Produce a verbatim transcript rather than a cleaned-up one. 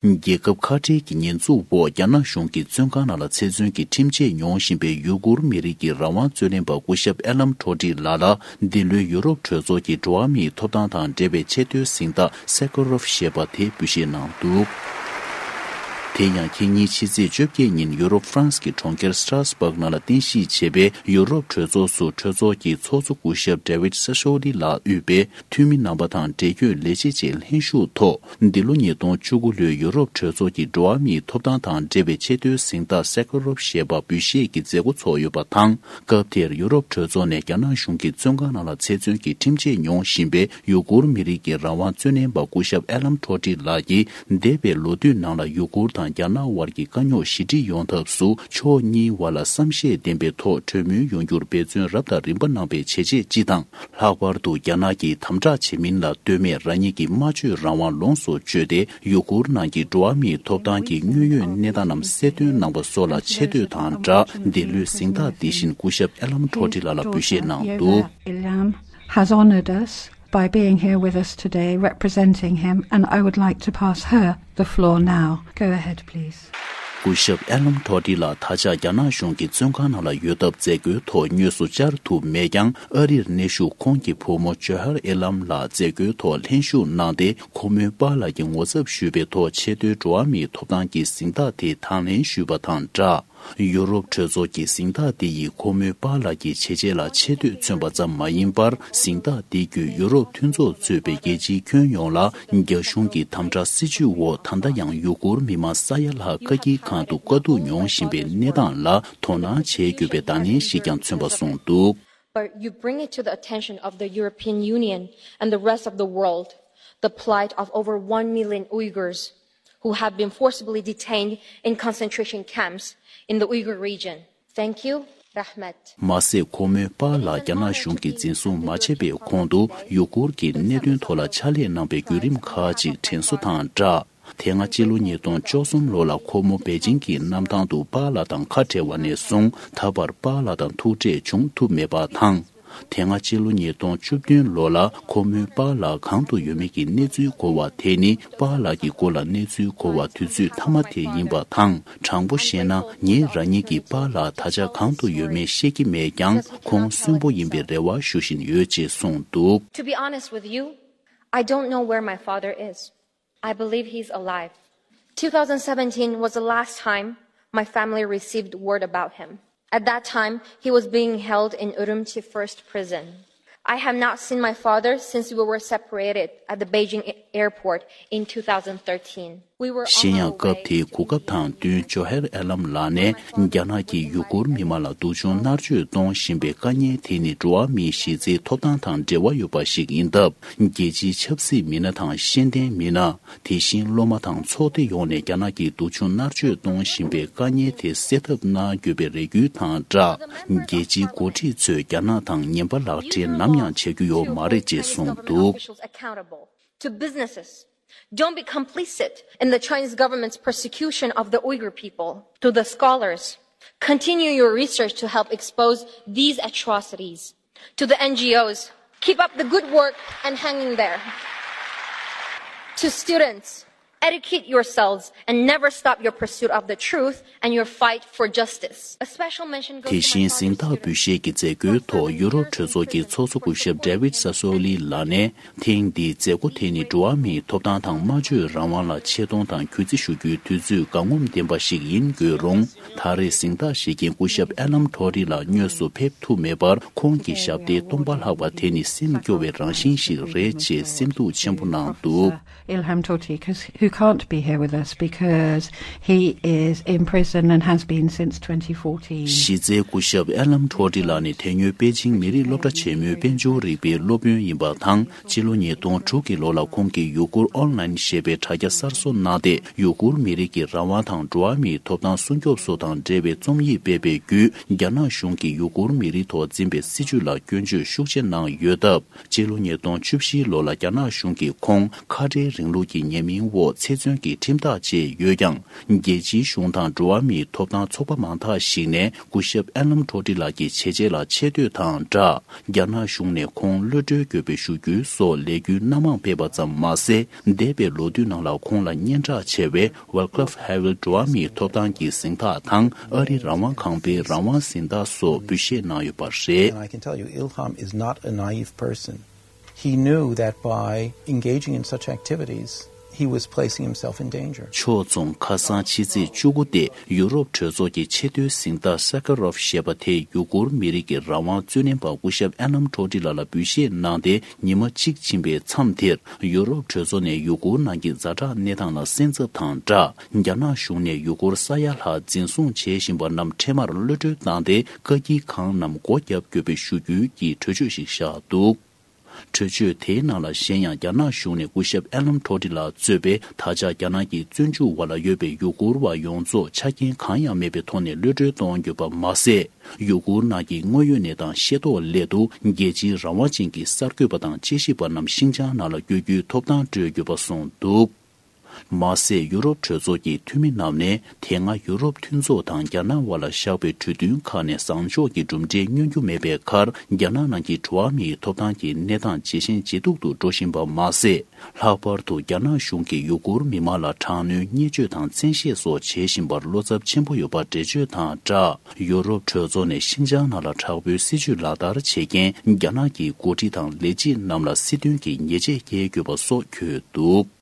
རྒྱལ་ཁབ་ཁ་བྲལ་གྱི་ཉེས་འཛུགས་འོག་རྒྱ་ནག་གཞུང་གི་བཙོན་ཁང་ནང་ལ་ཚེ་བཙོན་གྱི་ཁྲིམས་ཆད་མྱོང་བཞིན་པའི་ཡུ་གུར་མི་རིགས་ཀྱི་རང་དབང་རྩོད་ལེན་པ་སྐུ་ཞབས་ཨེ་ལམ་ཁྲོ་ཏི་ལགས་ལ་འདི་ལོའི་ཡུ་རོབ་གྲོས་ཚོགས་ཀྱི་འགྲོ་བ་མིའི་ཐོབ་ཐང་དང་འབྲེལ་བའི་ཆེས་མཐོའི་གཟེངས་རྟགས་སེ་ཁ་རོབ་ཞེས་པ་དེ་འབུལ་བཞེས་གནང་འདུག་དེ་ཡང་ཁེ་ཉིན་ཕྱི་ཚེས་བཅོ་བརྒྱད་ཉིན་ཡུ་རོབ་ཧྥ་རན་སི་གི་གྲོང་ཁྱེར་སི་ཏྲ་སི་བྷག་ནང་ལ་རྟེན་གཞི་བྱས་པའི་ཡུ་རོབ་གྲོས་ཚོགས་སུ་གྲོས་ཚོགས་ཀྱི་ཚོགས་གཙོ་སྐུ་ཞབས་ཌེ་ཝིད་སེ་སོ་ལི་ལགས་དབུས་པའི་འཐུས་མི་རྣམ་པ་དང་འབྲེལ་ཡོད་ལས་བྱེད་བཅས་ལྷན་ཞུགས་ཐོག་འདི་ལོ་ཉིས་སྟོང་བཅུ་དགུ་ལོའི་ཡུ་རོབ་གྲོས་ཚོགས་ཀྱི་འགྲོ་བ་མིའི་ཐོབ་ཐང་དང་འབྲེལ་བའི་ཆེས་མཐོའི་གཟེངས་རྟགས་སེ་ཁ་རོབ་ཞེས་པ་འབུལ་བཞེས་ཀྱི་མཛད་སྒོ་ཚོགས་ཡོད་པ་དང་། སྐབས་དེར་ཡུ་རོབ་གྲོས་ཚོགས་ནས་རྒྱ་ནག་གཞུང་གི་བཙོན་ཁང་ནང་ལ་ཚེ་བཙོན་གྱི་ཁྲིམས་ཆད་མྱོང་བཞིན་པའི་ཡུ་གུར་མི་རིགས་ཀྱི་རང་དབང་རྩོད་ལེན་པ་སྐུ་ཞབས་ཨེ་ལམ་ཁྲོ་ཏི་ལགས་ཀྱིས། འདས་པའི་ལོ་དུས་ནང་ལ་ཡུ་གུར་དང་རྒྱ་ནག་དབར་གྱི་དཀའ་རྙོག་ཞི་འགྲིག་ཡོང་ཐབས་སུ་ཕྱོགས་གཉིས་དབར་ལ་བསམ་ཤེས་ལྡན་པའི་ཐོག་གྲོས་མོལ་ཡོང་རྒྱུར་འབད་བརྩོན་རབ་དང་རིམ་པ་གནང་བའི་བྱས་རྗེས་སྤྱི་དང་། ལྷག་པར་དུ་རྒྱ་ནག་གིས་དམ་དྲག་བྱེད་མིན་ལ་ལྟོས་མེད་རང་ཉིད་ཀྱི་སྨྲ་བརྗོད་རང་དབང་ལོངས་སུ་སྤྱོད་དེ་ཡུ་གུར་ནང་གི་འགྲོ་བ་མིའི་ཐོབ་ཐང་གི་དངོས་ཡོད་གནས་སྟངས་རྣམས་གསལ་སྟོན་གནང་པ་སོགས་ལ་ཆེ་བསྟོད་དང་སྦྲགས་འདི་ལོའི་གཟེངས་རྟགས་འདི་བཞིན་སྐུ་ཞབས་ཨེ་ལམ་ཁྲོ་ཏི་ལགས་ལ་འབུལ་བཞེས་གནང་འདུག Ilham has honored us by being here with us today representing him, and I would like to pass her the floor now. Go ahead, please. སྐུ་ཞབས་ཨེ་ལམ་ཁྲོ་ཏི་ལགས་ད་ཆ་རྒྱ་ནག་གཞུང་གི་བཙོན་ཁང་ནང་ལ་ཡོད་སྟབས་མཛད་སྒོའི་ཐོག་དངོས་སུ་བཅར་ཐུབ་མེད་ཀྱང་། ཨ་རིར་གནས་བཞུགས་ཁོང་གི་བུ་མོ་ཇོ་ཧར་ཨེ་ལམ་ལགས་མཛད་སྒོའི་ཐོག་ལྷན་ཞུགས་གནང་སྟེ། ཁོ་མོའི་པཱ་ལགས་ཀྱི་ངོ་ཚབ་ཞུས་པའི་ཐོག་ཆེས་མཐོའི་འགྲོ་བ་མིའི་ཐོབ་ཐང་གི་གཟེངས་རྟགས་དེ་དང་ལེན་ཞུས་པ་དང་སྦྲགས། ཡུ་རོབ་གྲོས་ཚོགས་ཀྱི་གཟེངས་རྟགས་འདི་ཡིས་ཁོ་མོའི་པཱ་ལགས་ཀྱི་བྱས་རྗེས་ལ་ཆེ་བསྟོད་མཚོན་པ་ཙམ་མ་ཡིན་པར། གཟེངས་རྟགས་འདི་བརྒྱུད་ཡུ་རོབ་མཐུན་ཚོགས་གཙོས་པའི་རྒྱལ་སྤྱིའི་ཁྱོན་ཡོངས་ལ་རྒྱ་གཞུང་གི་དམ་དྲག་སྲིད་བྱུས་འོག་ད་ལྟ་ཡང་ཡུ་གུར་མི་མང་ས་ཡ་ལྷག་བཀག་སྐྱིལ་ཁང་དུ་དཀའ་སྡུག་མྱོང་བཞིན་པའི་གནས་སྟངས་ལ་དོ་སྣང་བྱེད་དགོས་པའི་བརྡ་ལན་ཞིག་ཀྱང་མཚོན་པ་གསུངས་འདུག But you bring it to the attention of the European Union and the rest of the world, the plight of over one million Uyghurs who have been forcibly detained in concentration camps in the Uyghur region. Thank you, Rahmat. མ་ཟད། ཁོ་མོའི་པཱ་ལགས་རྒྱ་ནག་གཞུང་གིས་འཛིན་བཟུང་མ་བྱས་པའི་གོང་དུ་ཡུ་གུར་གྱི་གནད་དོན་ཐོག་ལ་ཕྱག་ལས་གནང་པའི་བརྒྱུད་རིམ་ཁག་ཅིག་དྲན་གསོ་དང་སྦྲགས། དེ་སྔ་སྤྱི་ལོ་ཉིས་སྟོང་བཅུ་གསུམ་ལོ་ལ་ཁོ་མོ་པེ་ཅིང་གི་གནམ་ཐང་དུ་པཱ་ལགས་དང་ཁ་བྲལ་བ་ནས་བཟུང་ད་བར་པཱ་ལགས་དང་ཐུག་འཕྲད་བྱུང་ཐུབ་མེད་པ་དང་། དེ་སྔ་སྤྱི་ལོ་ཉིས་སྟོང་བཅུ་བདུན་ལོ་ལ་ཁོ་མོའི་པཱ་ལགས་གང་དུ་ཡོད་མེད་ཀྱི་གནས་ཚུལ་གོ་བ་དེ་ནི། པཱ་ལགས་ཀྱི་སྐོར་ལ་གནས་ཚུལ་གོ་བ་དུས་ཚོད་མཐའ་མ་དེ་ཡིན་པ་དང་། དྲང་པོ་བཤད་ན། ངས་རང་ཉིད་ཀྱི་པཱ་ལགས་ད་ཆ་གང་དུ་ཡོད་མེད་ཤེས་ཀྱི་མེད་ཀྱང་། ཁོང་གསོན་པོ་ཡིན་པའི་རེ་བ་ཞུ་བཞིན་ཡོད་ཅེས་གསུངས་འདུག To be honest with you, I don't know where my father is. I believe he's alive. Two thousand seventeen was the last time my family received word about him. At that time, he was being held in Urumqi First Prison. I have not seen my father since we were separated at the Beijing airport in two thousand thirteen. We were on གཞན་ཡང་། our སྐབས་དེའི་གོ་སྐབས་དང་བསྟུན་ཇོ་ཧེར་ཨེ་ལམ་ལགས་ནས་རྒྱ་ནག་གིས་ཡུ་གུར་མི་མང་ལ་སྡུག་སྦྱོང་མནར་གཅོད་གཏོང་བཞིན་པའི་དཀའ་ངལ་དེ་ནི་འགྲོ་བ་མིའི་གཞི་རྩའི་ཐོབ་ཐང་དང་འབྲེལ་བ་ཡོད་པ་ཞིག་ཡིན་སྟབས། རྒྱལ་སྤྱིའི་ཆབ་སྲིད་མི་སྣ་དང་ཤེས་ལྡན་མི་སྣ། དེ་བཞིན་སློབ་མ་དང་ཚོགས་སྡེ་ཡོངས་ནས་རྒྱ་ནག་གིས་སྡུག་སྦྱོང་མནར་གཅོད་གཏོང་བཞིན་པའི་དཀའ་ངལ་དེ་སེལ་ཐབས་གནང་དགོས་པའི་རེ་སྐུལ་དང་སྦྲགས། རྒྱལ་སྤྱིའི་འགོ་ཁྲིད་ཚོས་རྒྱ་ནག་དང་ངན་པ་ལག་འབྲེལ་ནམ་ཡང་བྱ་རྒྱུ་ཡོད་མ་རེད་ཅེས་གསུངས་འདུག Officials accountable to businesses. Don't be complicit in the Chinese government's persecution of the Uyghur people. To the scholars, continue your research to help expose these atrocities. To the N G Os, keep up the good work and hang in there. To students, educate yourselves and never stop your pursuit of the truth and your fight for justice. A special mention goes དེ་བཞིན་གཟེངས་རྟགས་འབུལ་བཞེས་ཀྱི་མཛད་སྒོའི་ཐོག་ཡུ་རོབ་གྲོས་ཚོགས་ཀྱི་ཚོགས་གཙོ་སྐུ་ཞབས་ཌེ་ཝིད་ས་སོ་ལི་ལགས་ནས། ཐེངས་འདིའི་མཛད་སྒོ་དེ་ནི་འགྲོ་བ་མིའི་ཐོབ་ཐང་དང་སྨྲ་བརྗོད་རང་དབང་ལ་ཆེ་མཐོང་དང་གུས་བརྩི་ཞུ་རྒྱུའི་དུས་ཚོད་དགའ་ངོམ་ལྡན་པ་ཞིག་ཡིན་དགོས་རུང་། ད་རེས་གཟེངས་རྟགས་བཞེས་མཁན་སྐུ་ཞབས་ཨེ་ལམ་ཁྲོ་རི་ལགས་དངོས་སུ་ཕེབས་ཐུབ་མེད་པར། ཁོང་གི་ཞབས་སྟེགས་སྟོང་པ་ལྷག་པ་དེ་ནི་སེམས་སྐྱོ་བའི་རང་བཞིན་ཞིག་རེད་ཅེས་སེམས་སྡུག་ཆེན་པོ་གནང་འདུག Ilham Tohti, 'cause- who can't be here with us because he is in prison and has been since twenty fourteen. གཞི་རྩའི་སྐུ་ཞབས་ཨེ་ལམ་ཁྲོ་རི་ལགས་ནི་དེ་སྔོན་པེ་ཅིང་མི་རིགས་སློབ་གྲྭ་ཆེན་མོའི་དཔལ་འབྱོར་རིག་པའི་སློབ་དཔོན་ཡིན་པ་དང་། སྤྱི་ལོ་ཉིས་སྟོང་དྲུག་གི་ལོ་ལ་ཁོང་གིས་ཡུ་གུར་ཨོན་ལན་ཞེས་པའི་དྲ་རྒྱ་གསར་བཟོ་གནང་སྟེ། ཡུ་གུར་མི་རིགས་ཀྱི་རང་དབང་དང་འགྲོ་བ་མིའི་ཐོབ་ཐང་སྲུང་སྐྱོབ་སོགས་དང་འབྲེལ་བའི་རྩོམ་ཡིག་སྤེལ་བའི་བརྒྱུད། རྒྱ་ནག་གཞུང་གིས་ཡུ་གུར་མི་རིགས་ཐོག་འཛིན་པའི་སྲིད་བྱུས་ལ་སྐྱོན་བརྗོད་ཤུགས་ཆེ་གནང་ཡོད་སྟབས། སྤྱི་ལོ་ཉིས་སྟོང་བཅུ་བཞི་ལོ་ལ་རྒྱ་ནག་གཞུང་གིས་ཁོང་ཁ་བྲལ་རིང་ལུགས་ཀྱི་ཉེས་མིང་འོག་ ཚེ་བཙོན་གྱི་ཁྲིམས་ཐག་བཅད་ཡོད་ཀྱང་། རྒྱལ་སྤྱིའི་གཞུང་དང་འགྲོ་བ་མིའི་ཐོབ་ཐང་ཚོགས་པ་མང་དག་ཞིག་ནས་སྐུ་ཞབས་ཨན་ལམ་ཁྲོ་ཏི་ལགས་ཀྱི་བྱས་རྗེས་ལ་ཆེ་བསྟོད་དང་སྦྲགས། རྒྱ་ནག་གཞུང་ནས་ཁོང་གློད་གྲོལ་དགོས་པའི་ཞུ་རྒྱུ་སོགས་ལས་འགུལ་སྣ་མང་སྤེལ་བ་ཙམ་མ་ཟད། འདས་པའི་ལོ་དུས་ནང་ལ་ཁོང་ལ་སྙན་གྲགས་ཆེ་བའི་Václav Havel འགྲོ་བ་མིའི་ཐོབ་ཐང་གི་གཟེངས་རྟགས་དང་། ཨ་རིའི་རང་དབང་ཁང་པའི་རང་དབང་གཟེངས་རྟགས་སོགས་འབུལ་བཞེས་གནང་ཡོད་པ་རེད། And I can tell you, Ilham is not a naive person. He knew that by engaging in such activities, he was placing himself in danger. ཕྱོགས་མཚུངས། ཁ་སང་ཕྱི་ཚེས་བཅུ་དགུ་སྟེ། ཡུ་རོབ་གྲོས་ཚོགས་ཀྱི་ཆེས་མཐོའི་གཟེངས་རྟགས་Sakharov ཞེས་པ་དེ་ཡུ་གུར་མི་རིགས་ཀྱི་རང་དབང་རྩོད་ལེན་པ་སྐུ་ཞབས་ཨན་ལམ་ཁྲོ་ཏི་ལགས་ལ་འབུལ་བཞེས་གནང་སྟེ། ཉི་མ་གཅིག་ཕྱིན་པའི་མཚམས་དེར། ཡུ་རོབ་གྲོས་ཚོགས་ནས་ཡུ་གུར་ནང་གི་ཛ་དྲག་གནས་སྟངས་ལ་གསན་གཟབ་དང་སྦྲགས། རྒྱ་ནག་གཞུང་ནས་ཡུ་གུར་ས་ཡ་ལྷག་འཛིན་བཟུང་བྱེད་བཞིན་པ་རྣམས་འཕྲལ་མར་གློད་གྲོལ་བཏང་སྟེ། བཀག་སྐྱིལ་ཁང་རྣམས་སྒོ་བརྒྱབ་དགོས་པའི་ཞུ་རྒྱུའི་གི་གྲོས་ཆོད་ཞིག་བཞག་འདུག་གྲོས་ཆོད་དེའི་ནང་ལ་གཞན་ཡང་། རྒྱ་ནག་གཞུང་ནས་སྐུ་ཞབས་ཨན་ལམ་ཁྲོ་ཏི་ལགས་གཙོས་པའི་ད་ཆ་རྒྱ་ནག་གི་བཙོན་འཇུག་འོག་ལ་ཡོད་པའི་ཡུ་གུར་བ་ཡོངས་རྫོགས་ཆ་རྐྱེན་གང་ཡང་མེད་པའི་ཐོག་ནས་གློད་གྲོལ་གཏོང་དགོས་པ་མ་ཟད། ཡུ་གུར་ནང་གི་དངོས་ཡོད་གནས་སྟངས་ཤེས་རྟོགས་སླད་དུ། རྒྱལ་སྤྱིའི་རང་དབང་ཅན་གྱི་གསར་འགོད་པ་དང་དཔྱད་ཞིབ་པ་རྣམས་ཤིན་ཅང་ནང་ལ་བསྐྱོད་རྒྱུའི་ཐོབ་ཐང་སྤྲོད་དགོས་པ་གསུངས་འདུག་མ་ཟད། ཡུ་རོབ་གྲོས་ཚོགས་ཀྱི་འཐུས་མི་རྣམས་ནས། དེ་སྔ་ཡུ་རོབ་མཐུན་ཚོགས་དང་རྒྱ་ནག་དབར་ལ་བཞག་པའི་གྲོས་མཐུན་ཁག་ནས་བཟང་ཕྱོགས་ཀྱི་གྲུབ་འབྲས་མངོན་རྒྱུ་མེད་པའི་ཁར། རྒྱ་ནག་ནང་གི་འགྲོ་བ་མིའི་ཐོབ་ཐང་གི་གནས་སྟངས་ཇེ་ཞན་ཇེ་སྡུག་ཏུ་འགྲོ་བཞིན་པ་མ་ཟད། ལྷག་པར་དུ་རྒྱ་ནག་གཞུང་གིས་ཡུ་གུར་མི་མང་ལ་དྲག་གནོན་བརྙས་བཅོས་དང་བཙན་ཤེད་སོགས་བྱེད་བཞིན་པར་བློ་འཚབ་ཆེན་པོ་ཡོད་པ་འགྲེལ་བརྗོད་དང་སྦྲགས། ཡུ་རོབ་གྲོས་ཚོགས་ནས་ཤིན་ཅང་ནང་ལ་དྲག་པོའི་སྲིད་བྱུས་ལག་བསྟར་བྱེད་མཁན་རྒྱ་ནག་གི་འགོ་ཁྲིད་དང་ལས་བྱེད་རྣམས་ལ་སྲིད་དོན་གྱི་ཉེས་ཆད་བཀལ་དགོས་པ་སོགས་འཁོད་འདུག